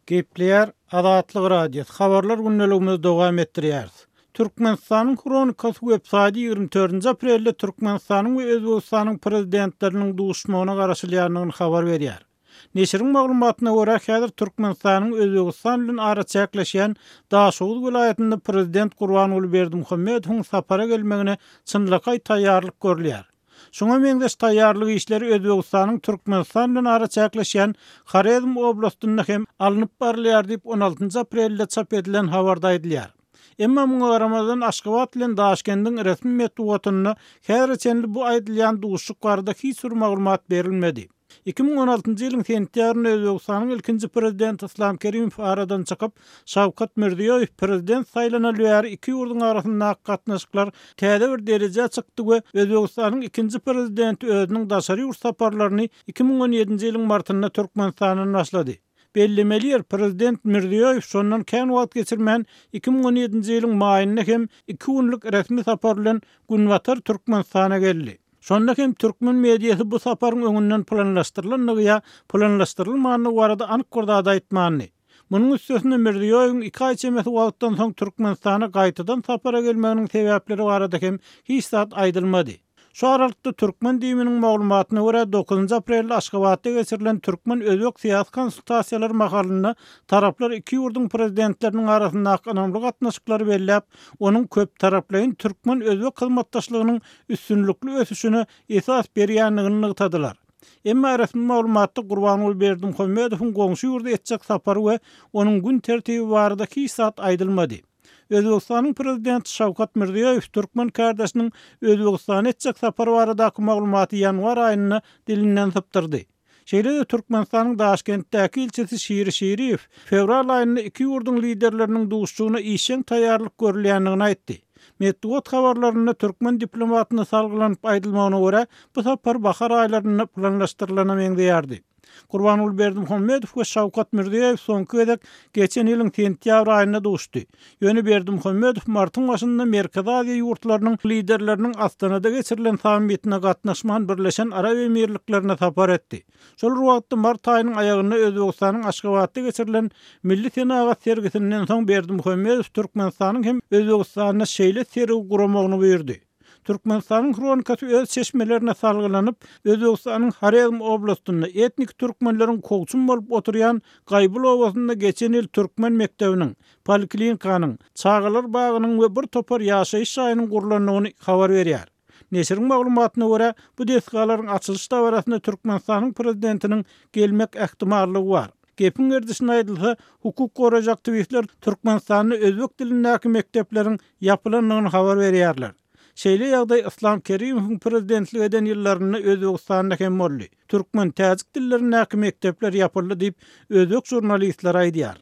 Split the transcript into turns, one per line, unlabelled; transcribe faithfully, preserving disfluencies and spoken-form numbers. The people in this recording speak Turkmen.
Gepleýär Azatlyk Radiosy, Habarlar gündeligimizi dowam etdirýäris. Türkmenistanyň Hronikasy websaýty ýigrimi dördünji aprelde Türkmenistanyň we Özbegistanyň prezidentleriniň duşuşmagyna garaşylýandygyny habar berýär. Neşiriň maglumatyna görä, häzir Türkmenistanyň Özbegistan bilen araçäkleşýän Daşoguz welaýatynda prezident Gurbanguly Berdimuhamedowyň sapara gelmegine çynlakaý taýýarlyk görülýär. Şuňa meňzeş taýýarlyk işleri Özbegistanyň Türkmenistan bilen araçäkleşýän Horezm oblastynda hem alnyp barylýar diýip, on altynjy aprelde çap edilen habarda aýdylýar. Emma muňa garamazdan Aşgabat bilen Daşkendiň resmi metbugatynda häzire çenli bu aýdylýan duşuşyk barada hiç bir maglumat berilmedi. Iki müň on altynjy ýylyň sentýabrynda Özbegistanyň ilkinji prezidenti Islam Kerimow aradan çykyp, Şawkat Mirziýoýew prezident saýlanaly bäri iki ýurduň arasyndaky gatnaşyklar täze bir derejä çykdy we Özbegistanyň ikinji prezidenti özüniň daşary ýurt saparlaryny iki müň on ýedinji ýylyň martynda Türkmenistandan başlady. Bellemeli ýer, prezident Mirziýoýew şondan kän wagt geçirmän iki müň on ýedinji ýylyň maýynda hem iki günlük resmi sapar bilen Günbatar Türkmenistana geldi. Şonda hem türkmen mediasy bu saparyň öňünden planlaşdyrylandygy ýa planlaşdyrylmandygy barada anyk bir zat aýtmandy. Munuň üstesine Mirziýoýewiň iki aý çemesi wagtdan soň Türkmenistana gaýtadan sapara gelmeginiň sebäpleri barada hem hiç zat aýdylmady. Şu aralykda türkmen DIM-niň maglumatyna görä, dokuzynjy aprelde Aşgabatda geçirilen türkmen-özbek syýasy konsultasiýalary mahalynda taraplar iki ýurduň prezidentleriniň arasyndaky ynamly gatnaşyklary belläp, onuň köptaraplaýyn türkmen-özbek hyzmatdaşlygynyň üstünlikli ösüşine esas berýändigini nygtadylar. Emma resmi maglumatda Gurbanguly Berdimuhamedowyň goňşy ýurda etjek sapary we onuň gün tertibi barada hiç zat aýdylmady. Özbegistanyň prezidenti Şawkat Mirziýoýew türkmen kardeşiniň Özbegistana etjek sapary baradaky maglumaty ýanwar aýynda dilinden sypdyrdy. Şeýle-de Türkmenistanyň Daşkentdäki ilçisi Şiri Şiriýew fewral aýynda iki ýurduň liderleriniň duşuşygyna işjeň taýýarlyk görülýändigini aýtdy. Metbugat habarlarynda türkmen diplomatyna salgylanyp aýdylmagyna görä, bu sapar bahar aýlarynda planlaşdyrylana meňzeýärdi. Gurbanguly Berdimuhamedow we Şawkat Mirziýoýew soňky gezek geçen ýylyň sentýabr aýynda duşdy. Ýöne Berdimuhamedow martyň başynda Merkezi Aziýa ýurtlarynyň liderleriniň Astanada geçirilen sammitine gatnaşman Birleşen Arap Emirliklerine sapar etdi. Şol bir wagtda mart aýynyň aýagynda Özbegistanyň Aşgabatda geçirilen Milli senagat sergisinden soň Berdimuhamedow Türkmenistanyň hem Özbegistanda şeýle sergi guramagyny buýurdy. Türkmenistanyň Hronikasy öz çeşmelerine salgylanyp, Özbegistanyň Horezm oblastynda etnik türkmenleriň kowçum bolup oturýan Gaýbul obasynda geçen ýyl türkmen mekdebiniň, poliklinikanyň, çagalar bagynyň we bir topar ýaşaýyş jaýynyň gurlandygyny habar berýär. Neşiriň maglumatyna görä, bu desgalaryň açylyş dabarasynda Türkmenistanyň prezidentiniň gelmek ähtimallygy bar. Gepiň gerdişine aýdylsa, hukuk goraýjy aktiwistler Türkmenistanda özbek dilindäki mekdepleriň ýapylandygyny habar berýärler. Şeýle ýagdaý Islam Kerimowyň prezidentlik eden ýyllarynda Özbegistanda hem boldy. Türkmen täjik dillerindäki mekdepler ýapyldy diýip, özbek žurnalistleri aýdýar.